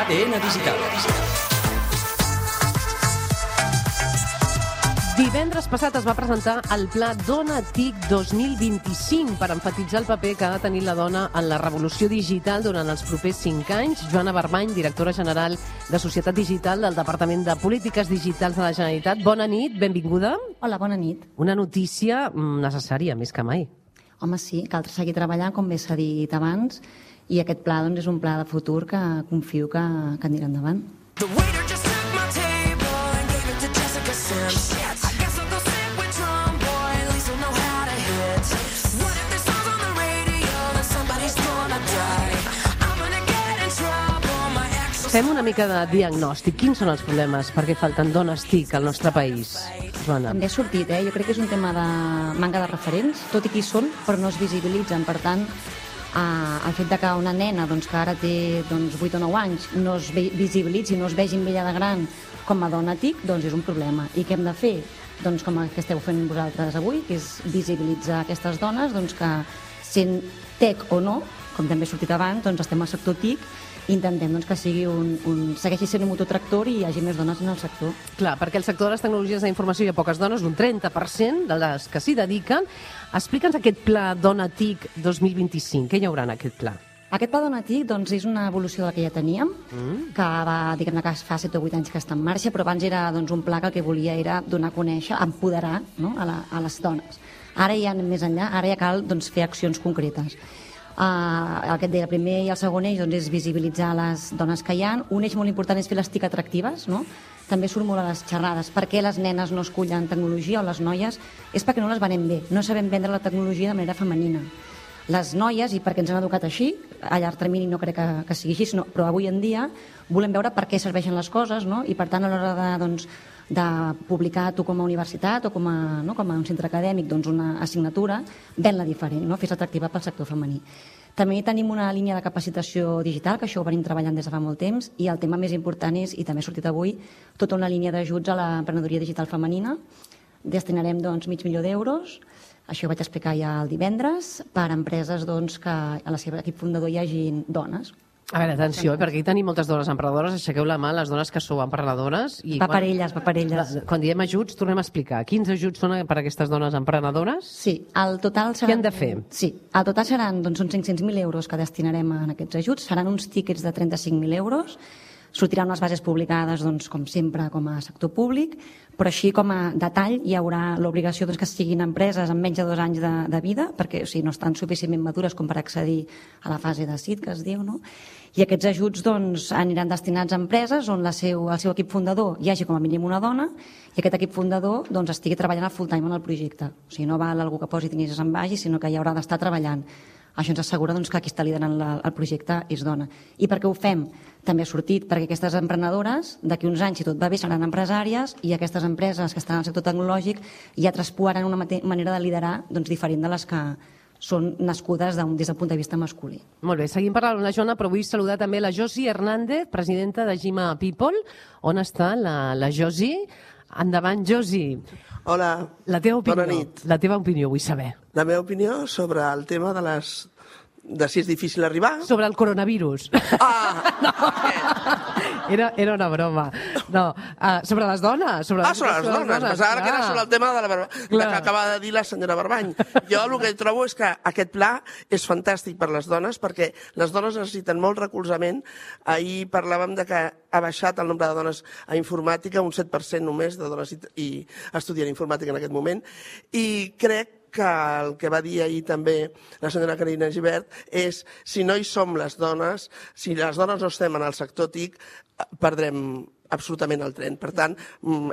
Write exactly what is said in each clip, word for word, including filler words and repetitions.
A D N Digital. Divendres passat es va presentar el Pla Dona TIC dos mil vint-i-cinc per emfatitzar el paper que ha de tenir la dona en la revolució digital durant els propers cinc anys. Joana Barbany, directora general de Societat Digital del Departament de Polítiques Digitals de la Generalitat. Bona nit, benvinguda. Hola, bona nit. Una notícia necessària, més que mai. Home, sí, cal seguir treballant, com bé s'ha dit abans, i aquest pla doncs, és un pla de futur que confio que, que anirà endavant. Fem una mica de diagnòstic. Quins són els problemes? Per què falten dones TIC al nostre país? Joana. També ha sortit, eh? Jo crec que és un tema de manca de referents, tot i que hi són, però no es visibilitzen. Per tant, eh, el fet de que una nena doncs, que ara té doncs, vuit o nou anys no es visibilitzi, no es vegi amb ella de gran com a dona TIC, doncs és un problema. I què hem de fer? Doncs com el que esteu fent vosaltres avui, que és visibilitzar aquestes dones doncs, que sent TEC o no, com també ha sortit abans, doncs estem al sector TIC i intentem doncs, que sigui un, un, segueixi sent un mototractor i hi hagi més dones en el sector. Clar, perquè el sector de les tecnologies de la informació hi ha poques dones, un trenta per cent de les que s'hi dediquen. Explica'ns aquest pla Dona TIC dos mil vint-i-cinc. Què hi haurà en aquest pla? Aquest pla Dona TIC doncs, és una evolució de la que ja teníem, mm. que va, diguem-ne que fa set o vuit anys que està en marxa, però abans era doncs, un pla que el que volia era donar a conèixer, empoderar no? a, la, a les dones. Ara ja anem més enllà, ara ja cal doncs, fer accions concretes. Uh, el que et deia, el primer i el segon eix doncs, és visibilitzar les dones que hi ha. Un eix molt important és fer les TIC atractives, no? També surt molt a les xerrades. Per què les nenes no escullen tecnologia o les noies? És perquè no les venem bé, no sabem vendre la tecnologia de manera femenina. Les noies, i perquè ens han educat així, a llarg termini no crec que, que sigui així, no, però avui en dia volem veure per què serveixen les coses, no? I per tant a l'hora de, doncs, de publicar tu com a universitat o com a, no, com a un centre acadèmic doncs una assignatura, ven-la diferent, no? Fes atractiva pel sector femení. També tenim una línia de capacitació digital, que això ho venim treballant des de fa molt temps, i el tema més important és, i també ha sortit avui, tota una línia d'ajuts a l'emprenedoria digital femenina. Destinarem doncs, mig milió d'euros, això ho vaig explicar ja el divendres, per a empreses doncs, que a la seva equip fundador hi hagi dones. A veure, atenció, perquè aquí tenim moltes dones emprenedores, aixequeu la mà, les dones que sou emprenedores. I va per elles, va per elles. Quan diem ajuts, tornem a explicar. Quins ajuts són per a aquestes dones emprenedores? Sí, el total seran... Què han de fer? Sí, el total seran doncs, uns cinc-cents mil euros que destinarem en aquests ajuts, seran uns tíquets de trenta-cinc mil euros, sortiran unes bases publicades, doncs, com sempre, com a sector públic, però així com a detall hi haurà l'obligació doncs, que siguin empreses amb menys de dos anys de, de vida, perquè o sigui, no estan suficientment madures com per accedir a la fase de S I D, que es diu, no? I aquests ajuts doncs, aniran destinats a empreses on la seu, el seu equip fundador hi hagi com a mínim una dona i aquest equip fundador doncs, estigui treballant a full time en el projecte. O sigui, no val algú que posi diners i se'n vagi, sinó que hi haurà d'estar treballant. Això ens assegura doncs, que qui està liderant la, el projecte és dona. I per què ho fem? També ha sortit perquè aquestes emprenedores, d'aquí uns anys, si tot va bé, seran empresàries i aquestes empreses que estan al sector tecnològic ja traspuaran una manera de liderar doncs, diferent de les que són nascudes des del punt de vista masculí. Molt bé, seguim parlant amb la Joana, però vull saludar també la Josi Hernández, presidenta de Gima People. On està la, la Josi? Endavant, Josi. Hola, la teva opinió, bona nit. La teva opinió, vull saber. La meva opinió sobre el tema de les... de si és difícil arribar... Sobre el coronavirus. Ah! No. Era, era una broma. No, uh, sobre les dones. Sobre ah, sobre les dones. dones. Pensava que era sobre el tema de la barba... que acaba de dir la senyora Barbany. Jo el que trobo és que aquest pla és fantàstic per les dones, perquè les dones necessiten molt recolzament. Ahir parlàvem de que ha baixat el nombre de dones a informàtica, un set per cent només de dones i, i estudien informàtica en aquest moment, i crec que el que va dir ahir també la senyora Carina Gibert és si no hi som les dones, si les dones no estem en el sector TIC, perdrem absolutament el tren. Per tant,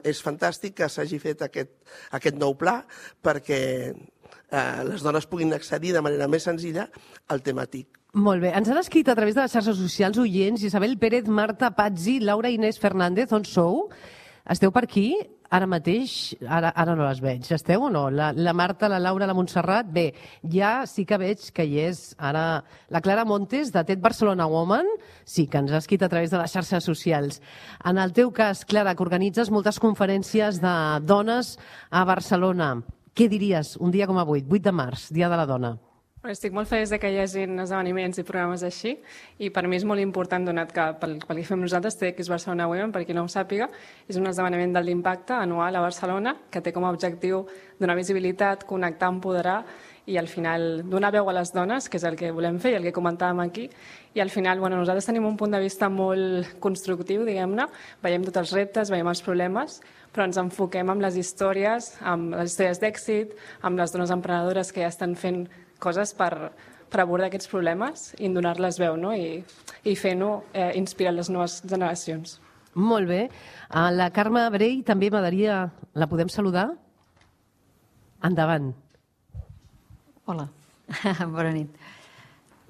és fantàstic que s'hagi fet aquest, aquest nou pla perquè eh, les dones puguin accedir de manera més senzilla al tema TIC. Molt bé. Ens han escrit a través de les xarxes socials oients Isabel Pérez, Marta Pazzi, Laura Inés Fernández. On sou? Esteu per aquí? Ara mateix, ara, ara no les veig. Esteu o no? La, la Marta, la Laura, la Montserrat. Bé, ja sí que veig que hi és ara la Clara Montes, de T E D Barcelona Woman, sí que ens ha escrit a través de les xarxes socials. En el teu cas, Clara, que organitzes moltes conferències de dones a Barcelona, què diries un dia com avui, vuit de març, Dia de la Dona? Estic molt feliç de que hi hagi esdeveniments i programes així i per mi és molt important donat que pel, pel que fem nosaltres T X Barcelona Women, per qui no ho sàpiga, és un esdeveniment de l'impacte anual a Barcelona que té com a objectiu donar visibilitat, connectar, empoderar i al final donar veu a les dones, que és el que volem fer i el que comentàvem aquí. I al final bueno, nosaltres tenim un punt de vista molt constructiu, diguem-ne, veiem tots els reptes, veiem els problemes, però ens enfoquem amb les històries, amb les històries d'èxit, amb les dones emprenedores que ja estan fent coses per, per abordar aquests problemes i donar-les veu, no? I, i fer-no eh, inspirar les noves generacions. Molt bé. A la Carme Brey també m'agradaria... La podem saludar? Endavant. Hola, bona nit.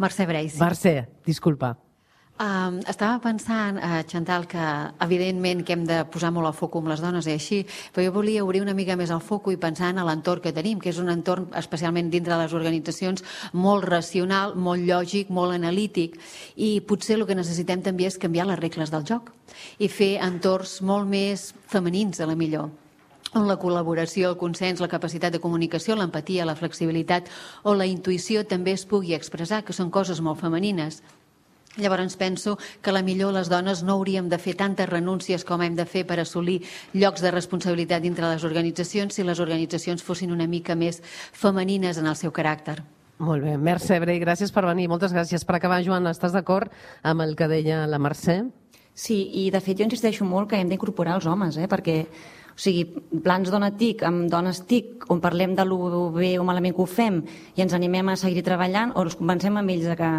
Mercè Brey, sí. Mercè, disculpa. Um, estava pensant, uh, Chantal, que evidentment que hem de posar molt el foc amb les dones i així, però jo volia obrir una mica més el foc i pensar en l'entorn que tenim, que és un entorn, especialment dintre de les organitzacions, molt racional, molt lògic, molt analític, i potser el que necessitem també és canviar les regles del joc i fer entorns molt més femenins, a la millor, on la col·laboració, el consens, la capacitat de comunicació, l'empatia, la flexibilitat o la intuïció també es pugui expressar, que són coses molt femenines. Llavors penso que a la millor les dones no hauríem de fer tantes renúncies com hem de fer per assolir llocs de responsabilitat dintre les organitzacions si les organitzacions fossin una mica més femenines en el seu caràcter. Molt bé. Mercè Brey, gràcies per venir. Moltes gràcies. Per acabar, Joan, estàs d'acord amb el que deia la Mercè? Sí, i de fet jo insisteixo molt que hem d'incorporar els homes, eh? Perquè o sigui, plans dona TIC amb dones TIC on parlem de lo bé o malament que ho fem i ens animem a seguir treballant o els convencem amb ells de que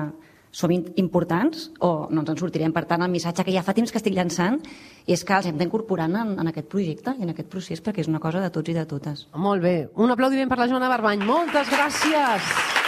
som importants o no ens en sortirem. Per tant, el missatge que ja fa temps que estic llançant és que els hem d'incorporar en, en aquest projecte i en aquest procés perquè és una cosa de tots i de totes. Molt bé. Un aplaudiment per la Joana Barbany. Moltes gràcies.